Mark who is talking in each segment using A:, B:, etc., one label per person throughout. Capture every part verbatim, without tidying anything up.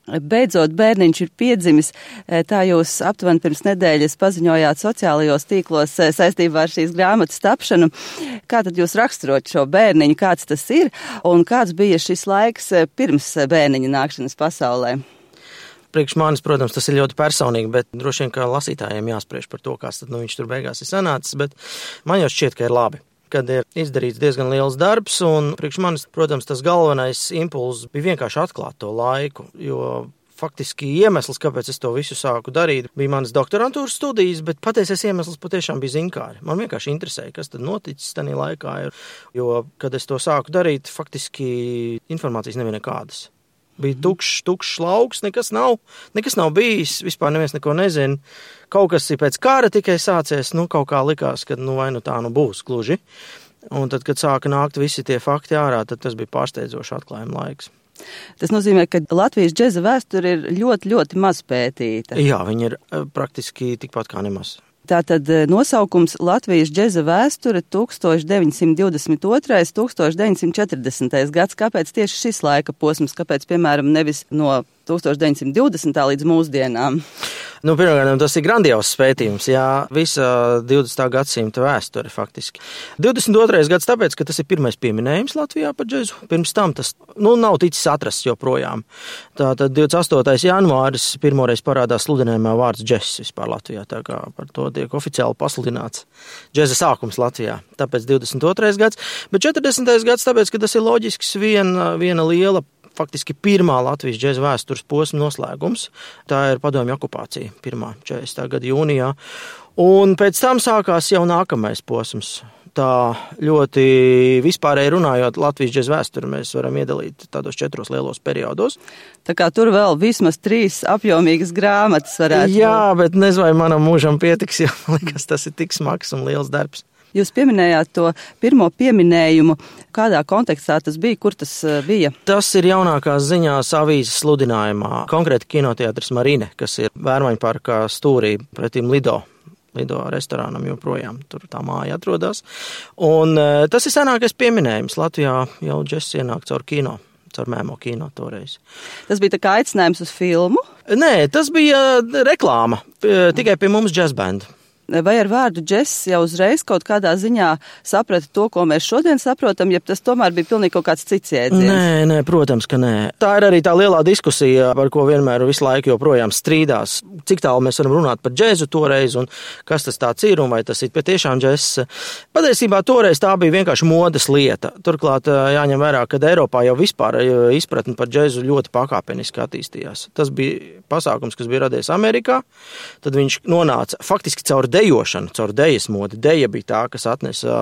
A: Beidzot, bērniņš ir piedzimis, tā jūs aptuveni pirms nedēļas paziņojāt sociālajos tīklos saistībā ar šīs grāmatas tapšanu. Kā tad jūs raksturot šo bērniņu, kāds tas ir un kāds bija šis laiks pirms bērniņa nākšanas pasaulē?
B: Priekš manis, protams, tas ir ļoti personīgi, bet droši vien, ka lasītājiem jāspriež par to, kāds tad nu, viņš tur beigās ir sanācis, bet man jau šķiet, ka ir labi. Kad ir izdarīts diezgan liels darbs, un priekš manis, protams, tas galvenais impulss bija vienkārši atklāt to laiku, jo faktiski iemesls, kāpēc es to visu sāku darīt, bija manas doktorantūras studijas, bet patiesais iemesls patiešām bija zinkāri. Man vienkārši interesēja, kas tad noticis tajā laikā, jo, kad es to sāku darīt, faktiski informācijas nebija nekādas. Bija tukšs, tukšs lauks, nekas nav, nekas nav bijis, vispār neviens neko nezina. Kaut kas ir pēc kara tikai sācies, nu kaut kā likās, ka nu vai nu tā nu būs gluži. Un tad, kad sāka nākt visi tie fakti ārā, tad tas bija pārsteidzoši atklājuma laiks.
A: Tas nozīmē, ka Latvijas džeza vēsture ir ļoti, ļoti maz pētīta.
B: Jā, viņa ir praktiski tikpat kā nemaz.
A: Tātad nosaukums Latvijas džeza vēsture tūkstoš deviņsimt divdesmit otrais līdz tūkstoš deviņsimt četrdesmitais gads. Kāpēc tieši šis laika posms? Kāpēc, piemēram, nevis no tūkstoš deviņsimt divdesmitā līdz mūsdienām?
B: Nu, pirmkārt, tas ir grandios pētījums, jā, visa divdesmitā gadsimta vēsture faktiski. divdesmit otrais gads tāpēc, ka tas ir pirmais pieminējums Latvijā par džezu. Pirms tam tas, nu, nav ticis atrasts joprojām. Tātad divdesmit astotais janvāris pirmoreiz parādās sludinājumā vārds džess vispār Latvijā, tā kā par to tiek oficiāli pasludināts džeza sākums Latvijā. Tāpēc divdesmit otrais gads, bet četrdesmitais gads tāpēc, ka tas ir loģisks viena, viena liela faktiski pirmā Latvijas džeza vēstures posma noslēgums. Tā ir padomju okupācija, pirmā četrdesmitā gada jūnijā. Un pēc tam sākās jau nākamais posms. Tā ļoti vispārēji runājot, Latvijas džeza vēsturi mēs varam iedalīt tādos četros lielos periodos.
A: Tā kā tur vēl vismaz trīs apjomīgas grāmatas varētu.
B: Jā, bet nezinu, vai manam mūžam pietiks, jo man liekas, tas ir tik smags un liels darbs.
A: Jūs pieminējāt to pirmo pieminējumu. Kādā kontekstā tas bija? Kur tas bija?
B: Tas ir jaunākās ziņās avīzes sludinājumā. Konkrēti kinoteātris Marine, kas ir Vērmaņu parkā stūrī pretim Lido. Lido restorānam joprojām. Tur tā māja atrodas. Un tas ir senākais pieminējums. Latvijā jau džess ienāk caur kino. Caur mēmo kino toreiz.
A: Tas bija tā kā aicinājums uz filmu?
B: Nē, tas bija reklāma. Tikai pie mums džez band.
A: Vai ar vārdu džess jau uzreiz kaut kādā ziņā saprata to, ko mēs šodien saprotam, ja tas tomēr bija pilnīgi kaut kāds cits jēdziens?
B: Nē, nē, protams, ka nē. Tā ir arī tā lielā diskusija, par ko vienmēr visu laiku joprojām strīdās. Cik tālu mēs varam runāt par džezu toreiz un kas tas tāds ir un vai tas ir patiešām džess. Patiesībā toreiz tā bija vienkārši modes lieta. Turklāt jāņem vērā, ka Eiropā jau vispār izpratne par džezu ļoti pakāpeniski attīstījās. Tas bija pasākums, kas bija radies Amerikā, tad viņš nonāca faktiski caur dejošanu, caur dejas modi. Deja bija tā, kas atnesa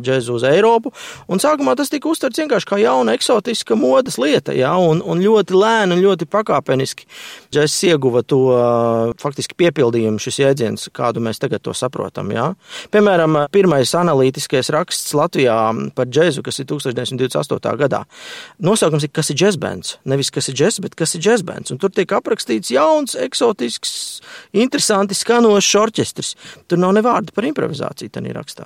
B: džezu uz Eiropu, un sākumā tas tika uztverts vienkārši kā jauna eksotiska modes lieta, jā, un, un ļoti lēni un ļoti pakāpeniski džezs ieguva to faktiski piepildījumu šis jēdziens, kādu mēs tagad to saprotam, jā. Piemēram, pirmais analītiskais raksts Latvijā par džezu, kas ir tūkstoš deviņsimt divdesmit astotā gadā. Nosaukums ir, kas ir džezbands, nevis kas ir džez, bet kas ir džezbands, un tur tiek aprakstīts jauns, eksotisks, interesanti skanošs orķestris. Tur nav ne vārda par improvizāciju tajā rakstā.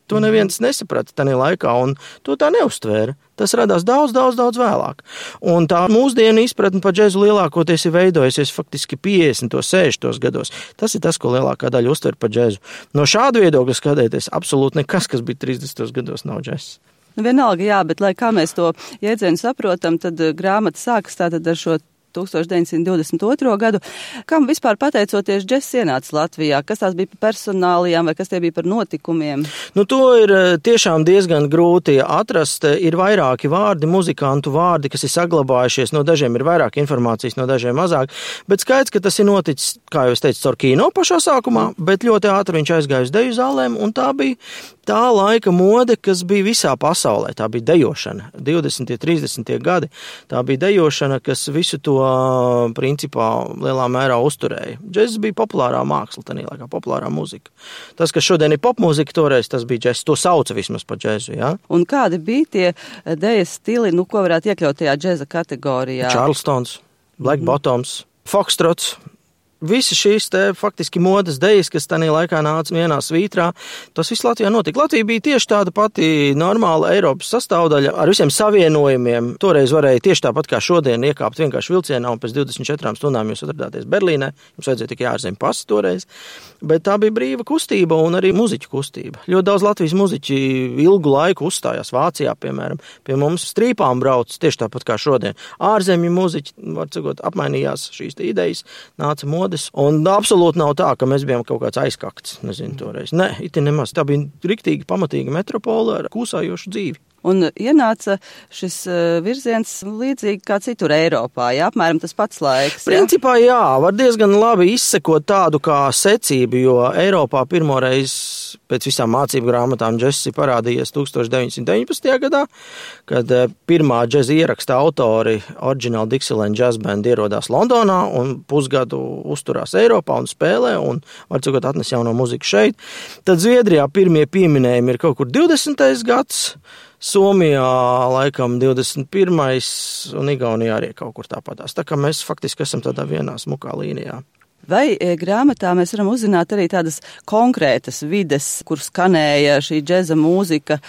B: To neviens nesaprata tajā laikā, un to tā neuztvēra. Tas radās daudz, daudz, daudz vēlāk. Un tā mūsdienu izpratne par džezu lielākoties ir veidojusies faktiski piecdesmitos, sešdesmitos gados. Tas ir tas, ko lielākā daļa uztver par džezu. No šāda viedokļa skatēties, absolūti nekas, kas bija trīsdesmitos gados, nav džezs.
A: Nu, vienalga, jā, bet lai kā mēs to jēdzienu saprotam, tad grāmata sākas tātad ar šo tūkstoš deviņsimt divdesmit otro gadu. Kam vispār pateicoties džess ienāca Latvijā? Kas tās bija par personālijām vai kas tie bija par notikumiem?
B: Nu, to ir tiešām diezgan grūti atrast. Ir vairāki vārdi, muzikantu vārdi, kas ir saglabājušies. No dažiem ir vairāk informācijas, no dažiem mazāk. Bet skaidrs, ka tas ir noticis, kā jau es teicu, caur kino pašā sākumā, bet ļoti ātri viņš aizgāja uz deju zālēm, un tā bija tā laika mode, kas bija visā pasaulē. Tā bija dejošana. divdesmitie, trīsdesmitie gadi. Tā bija dejošana, kas visu to principā lielā mērā uzturēja. Džess bija populārā māksla, tanī laikā populārā muzika. Tas, kas šodien ir popmuzika, toreiz tas bija džess. To sauca vismaz par džesu, jā.
A: Un kādi bija tie dejas stili, nu, ko varētu iekļaut tajā džeza kategorijā?
B: Charlestons, Black mm-hmm. Bottoms, Foxtrots, Visi šīs te faktiski modes dejas, kas tajā laikā nāca vienā svītrā, tas viss Latvijā notika. Latvija bija tieši tāda pati normāla Eiropas sastāvdaļa ar visiem savienojumiem. Toreiz varēja tieši tāpat kā šodien iekāpt vienkārši vilcienā un pēc divdesmit četrām stundām jūs atradāties Berlīnē. Jums vajadzēja tikai ārzemju pasi toreiz. Bet tā bija brīva kustība un arī muziķu kustība. Ļoti daudz Latvijas muziķi ilgu laiku uzstājās Vācijā, piemēram. Pie mums strīpām brauc tieši tāpat kā šodien. Ārzemju muziķi, var sakot, apmainījās šīs idejas, nāca modes. Un absolūti nav tā, ka mēs bijām kaut kāds aizkakts, nezinu, toreiz. Nē, iti nemaz. Tā bija riktīgi pamatīga metropola ar kūsājošu dzīvi.
A: Un ienāca šis virziens līdzīgi kā citur Eiropā, jā, apmēram tas pats laiks. Jā?
B: Principā jā, var diezgan labi izsekot tādu kā secību, jo Eiropā pirmoreiz pēc visām mācību grāmatām džess ir parādījies tūkstoš deviņsimt deviņpadsmitajā gadā, kad pirmā džeza ieraksta autori Original Dixieland Jazz Band ierodās Londonā un pusgadu uzturās Eiropā un spēlē un, var cikot, atnes jauno muziku šeit. Tad Zviedrijā pirmie pieminējumi ir kaut kur divdesmitais gads, Somijā laikam divdesmit pirmais un Igaunijā arī kaut kur tāpatās. Tā kā mēs faktiski esam tādā vienā smukā līnijā.
A: Vai grāmatā mēs varam uzzināt arī tādas konkrētas vides, kur skanēja šī džeza mūzika?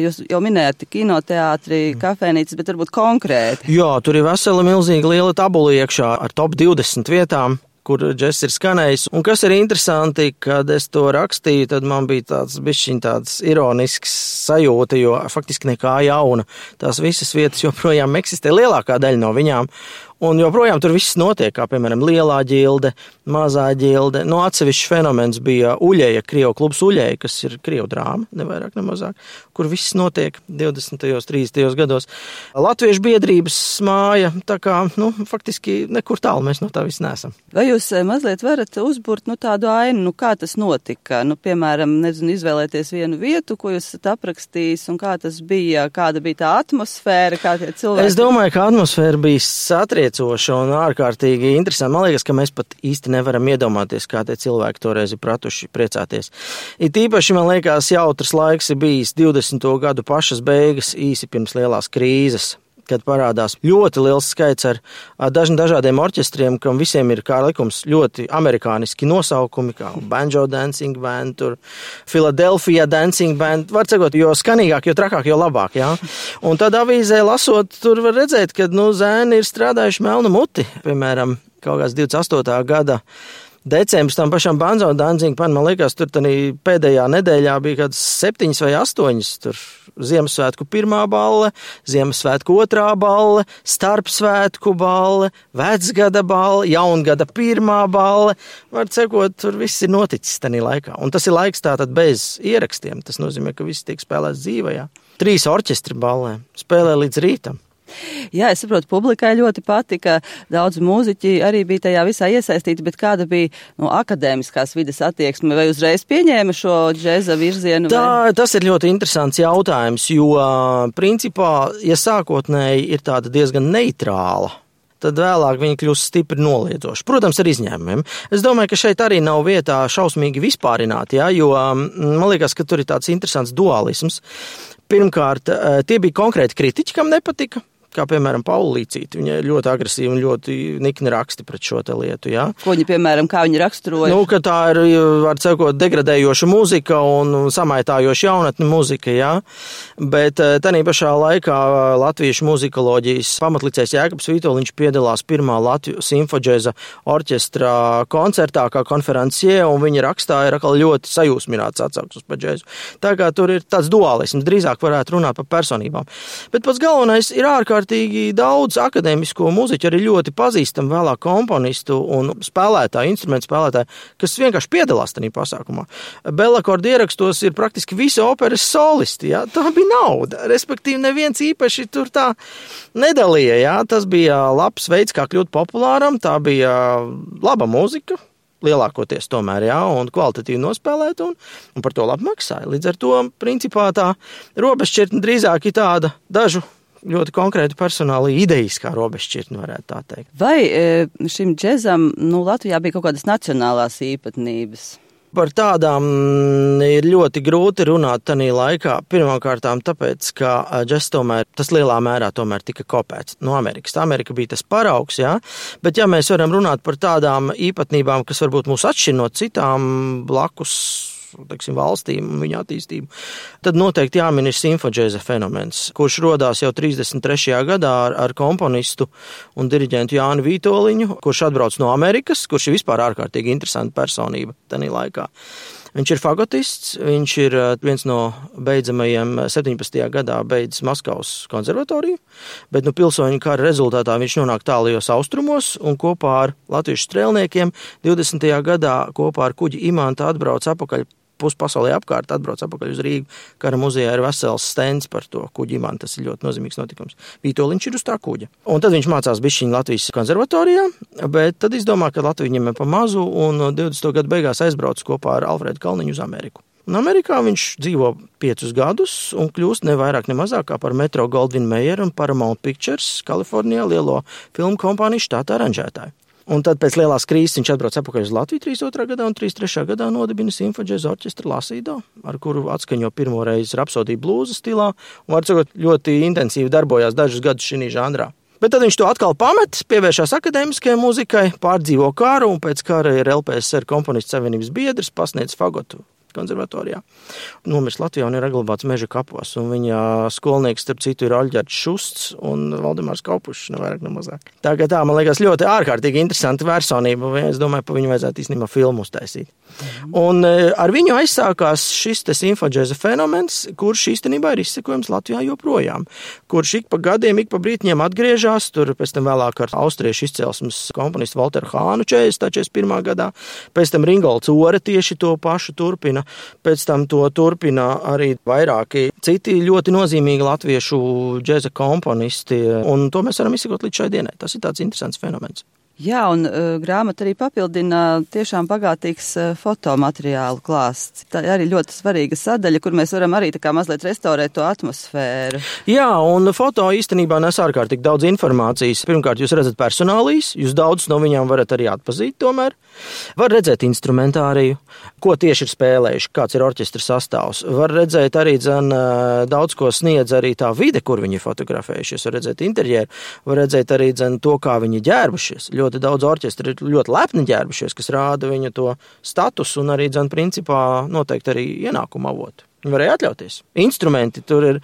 A: Jūs jau minējāt kinoteātri, kafēnīcas, bet varbūt konkrēti.
B: Jā, tur ir vesela milzīga liela tabula iekšā ar top divdesmit vietām, kur džess ir skanējis. Un kas ir interesanti, kad es to rakstīju, tad man bija tāds bišķiņ tāds ironisks sajūta, jo faktiski nekā jauna. Tās visas vietas joprojām eksistē, lielākā daļa no viņām. Un joprojām tur viss notiek, kā piemēram Lielā ģilde, Mazā ģilde. No atsevišķs fenomens bija Uļeja, Krievu klubs Uļeja, kas ir Krievu drāma, ne vairāk, ne mazāk, kur viss notiek divdesmitajos, trīsdesmitajos gados. Latviešu biedrības māja, tā kā, nu, faktiski nekur tālu mēs no tā viss neesam.
A: Vai jūs mazliet varat uzburt, nu, tādu ainu, nu, kā tas notika? Nu, piemēram, nezinu, izvēlēties vienu vietu, ko jūs esat aprakstījis, un kā tas bija, kāda bija tā atmosfēra, kā tie cilvēki?
B: Es domāju, ka atmosfēra bija satriecināta un ārkārtīgi interesanti. Man liekas, ka mēs pat īsti nevaram iedomāties, kā tie cilvēki toreiz ir pratuši priecāties. It īpaši, man liekas, jautrs laiks ir bijis divdesmito gadu pašas beigas, īsi pirms lielās krīzes, kad parādās ļoti liels skaits ar dažni dažādiem orķestriem, kam visiem ir kā likums ļoti amerikāniski nosaukumi, kā Banjo Dancing Band, tur Philadelphia Dancing Band, var cikot, jo skanīgāk, jo trakāk, jo labāk, jā. Un tad avīzē lasot, tur var redzēt, ka, nu, zēni ir strādājuši melnu muti, piemēram, kaut kāds divdesmit astotā gada decembris tam pašam Banjo Dancing Band, man liekas, tur tanī pēdējā nedēļā bija kāds septiņas vai astoņas, tur Ziemassvētku pirmā balle, Ziemassvētku otrā balle, starpsvētku balle, vecgada balle, jaungada pirmā balle. Var cekot, tur viss ir noticis tanī laikā. Un tas ir laiks tātad bez ierakstiem. Tas nozīmē, ka viss tiek spēlēts dzīvajā. Trīs orķestri ballē spēlē līdz rītam.
A: Jā, es saprotu, publikai ļoti patika, daudz mūziķi arī bija tajā visā iesaistīti, bet kāda bija no akadēmiskās vides attieksme, vai uzreiz pieņēma šo džeza virzienu?
B: Tā, tas ir ļoti interesants jautājums, jo principā, ja sākotnēji ir tāda diezgan neitrāla, tad vēlāk viņi kļūst stipri noliedzoši. Protams, ar izņēmumiem. Es domāju, ka šeit arī nav vietā šausmīgi vispārināt, ja, jo man liekas, ka tur ir tāds interesants dualisms. Pirmkārt, tie bija konkrēti kritiķi, kam nepatika. Kā, piemēram, Paula Līcīte. Viņa ir ļoti agresīva un ļoti nikni raksti pret šo te lietu, jā.
A: Ko viņa, piemēram, kā viņa raksturoja?
B: Nu, ka tā ir, var cekot, degradējoša muzika un samaitājoša jaunatne muzika, jā. Bet tanī pašā laikā latviešu muzikoloģijas pamatlicējs Jēkabs Vitoļiņš piedalās pirmā Latviju simfodžēza orķestra koncertā kā konferencie, un viņa rakstā ir atkal ļoti sajūsmināts atsauksmes par džēzu. Tā kā tur ir tāds dualisms, drīzāk varētu runāt par personībām. Bet pats galvenais ir ārkārtīgi daudz akadēmisko muziķu, arī ļoti pazīstam vēlāk komponistu un spēlētāju, instrumentu spēlētāju, kas vienkārši piedalās tajā pasākumā. Bellakorda ierakstos ir praktiski visi operas solisti, jā. Tā bija nauda, respektīvi neviens īpaši tur tā nedalīja, jā. Tas bija labs veids, kā kļūt populāram, tā bija laba muzika, lielākoties tomēr, jā, un kvalitatīvi nospēlēt, un, un par to labi maksāja. Līdz ar to, principā, tā robežšķirtne drīzāk ir tāda dažu ļoti konkrēti personāli idejiskā robežšķirtne, varētu tā teikt.
A: Vai šim džezam, nu, Latvijā bija kaut kādas nacionālās īpatnības?
B: Par tādām ir ļoti grūti runāt tanī laikā. Pirmkārtām tāpēc, ka džess tomēr, tas lielā mērā tomēr tika kopēts no Amerikas. Amerika bija tas paraugs, jā, bet ja mēs varam runāt par tādām īpatnībām, kas varbūt mūs atšķir no citām blakus, teiksim, valstīm un viņa attīstību, tad noteikti jāmin ir simfodžēza fenomens, kurš rodās jau trīsdesmit trešajā gadā ar, ar komponistu un diriģentu Jāni Vītoliņu, kurš atbrauc no Amerikas, kurš ir vispār ārkārtīgi interesanta personība tanī laikā. Viņš ir fagotists, viņš ir viens no beidzamajiem septiņpadsmitajā gadā beidzis Maskavas konservatoriju, bet nu pilsoņu kara rezultātā viņš nonāk tālajos austrumos un kopā ar latviešu strēlniekiem divdesmitajā gadā kopā ar kuģi Imanta atbrauc apakaļ puspasaulē apkārt, atbrauc apakaļ uz Rīgu. Kara muzejā ir vesels stends par to kuģi Imantu, tas ir ļoti nozīmīgs notikums. Vītoliņš ir uz tā kuģa. Un tad viņš mācās bišķiņu Latvijas konservatorijā, bet tad izdomā, ka Latvija viņam ir pa mazu un divdesmito gadu beigās aizbrauc kopā ar Alfredu Kalniņu uz Ameriku. Un Amerikā viņš dzīvo piecus gadus un kļūst ne vairāk ne mazāk kā par Metro Goldwyn Mayer un Paramount Pictures Kalifornijā lielo filmu kompāniju štāta aranžētāju. Un tad pēc lielās krīzes viņš atbrauc apakaļ uz Latviju trīsdesmit otrā gadā un trīsdesmit trešajā gadā nodibina simfodžēza orķestru Lasīdo, ar kuru atskaņo pirmo reizi rapsodiju blūza stilā un, var sakot, ļoti intensīvi darbojās dažus gadus šī žanrā. Bet tad viņš to atkal pamet, pievēršās akadēmiskajai muzikai, pārdzīvo karu un pēc kara ir L P S R komponistu savienības biedrs, pasniedz fagotu konservatorijā. Nomirst Latvijā un ir saglabāts Meža kapos, un viņa skolnieks, starp citu, ir Aļģerts Šusts un Valdemārs Kaupušs, ne vairāk, ne mazāk. Tā kā tā, man liekas, ļoti ārkārtīgi interesanta personība, un es domāju, pa viņu vajadzētu īstenībā filmu uztaisīt. Mm. Un ar viņu aizsākās šis te simfodžēza fenomens, kurš īstenībā ir izsekojams Latvijā joprojām, kurš ik pa gadiem, ik pa brītņiem atgriežās, tur pēc tam vēlāk ar austriešu izcelsmes komponistu Walteru Hānu četrdesmit pirmā gadā, pēc tam Ringolds Ore tieši to pašu turpina. Pēc tam to turpina arī vairāki citi ļoti nozīmīgi latviešu džeza komponisti, un to mēs varam izsekot līdz šai dienai. Tas ir tāds interesants fenomens.
A: Jā, un uh, grāmata arī papildina tiešām bagātīgs uh, fotomateriālu klāsts. Tā ir arī ļoti svarīga sadaļa, kur mēs varam arī tā kā mazliet restaurēt to atmosfēru.
B: Jā, un foto īstenībā nes ārkārtīgi daudz informācijas. Pirmkārt, jūs redzat personālijas, jūs daudz no viņām varat arī atpazīt tomēr. Var redzēt instrumentāriju, ko tieši ir spēlējuši, kāds ir orķestra sastāvs. Var redzēt arī dzen, daudz ko sniedz arī tā vide, kur viņi fotografējušies. Var redzēt interjeru, var redzēt arī dzen, to, kā viņi ģērbušies. Ļoti daudz orķestri ir ļoti lepni ģērbušies, kas rāda viņa to statusu un arī, dzen, principā noteikti arī ienākumu avotu. Viņi varēja atļauties. Instrumenti tur ir,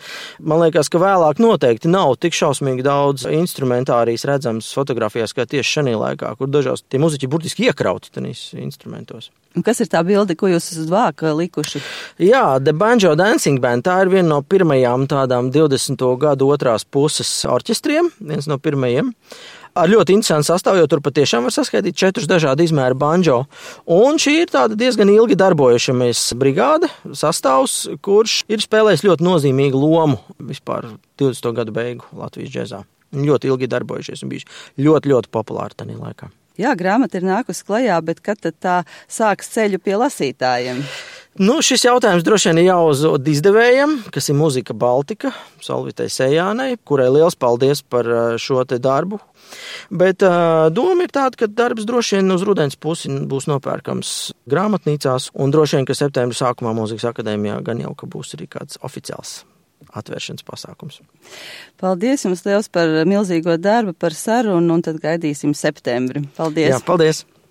B: man liekas, ka vēlāk noteikti nav tik šausmīgi daudz instrumentārijas redzams fotografijās, kā tieši šajā laikā, kur dažās tie muziķi burtiski iekrauti tenīs instrumentos.
A: Un kas ir tā bilde, ko jūs esat vāka likuši?
B: Jā, The Banjo Dancing Band, tā ir viena no pirmajām tādām divdesmito gadu otrās puses orķestriem, viens no pirmajiem. Ar ļoti interesantu sastāvu, jo tur patiešām var saskaitīt četrus dažādu izmēru banjo. Un šī ir tāda diezgan ilgi darbojušamies brigāde, sastāvs, kurš ir spēlējis ļoti nozīmīgu lomu vispār divdesmito gadu beigu Latvijas džezā. Ļoti ilgi darbojušies un bijuši ļoti, ļoti populāri tajā laikā.
A: Jā, grāmata ir nākusi klajā, bet kad tad tā sāks ceļu pie lasītājiem?
B: Nu, šis jautājums droši vien ir jāuzdod izdevējiem, kas ir Muzika Baltika, Solvitai Sejānai, kurai liels paldies par šo te darbu. Bet uh, doma ir tāda, ka darbs droši vien uz rudens pusi būs nopērkams grāmatnīcās, un droši vien, ka septembra sākumā Mūzikas akadēmijā gan jau, ka būs arī kāds oficiāls atvēršanas pasākums.
A: Paldies jums liels par milzīgo darbu, par sarunu, un tad gaidīsim septembri. Paldies!
B: Jā, paldies!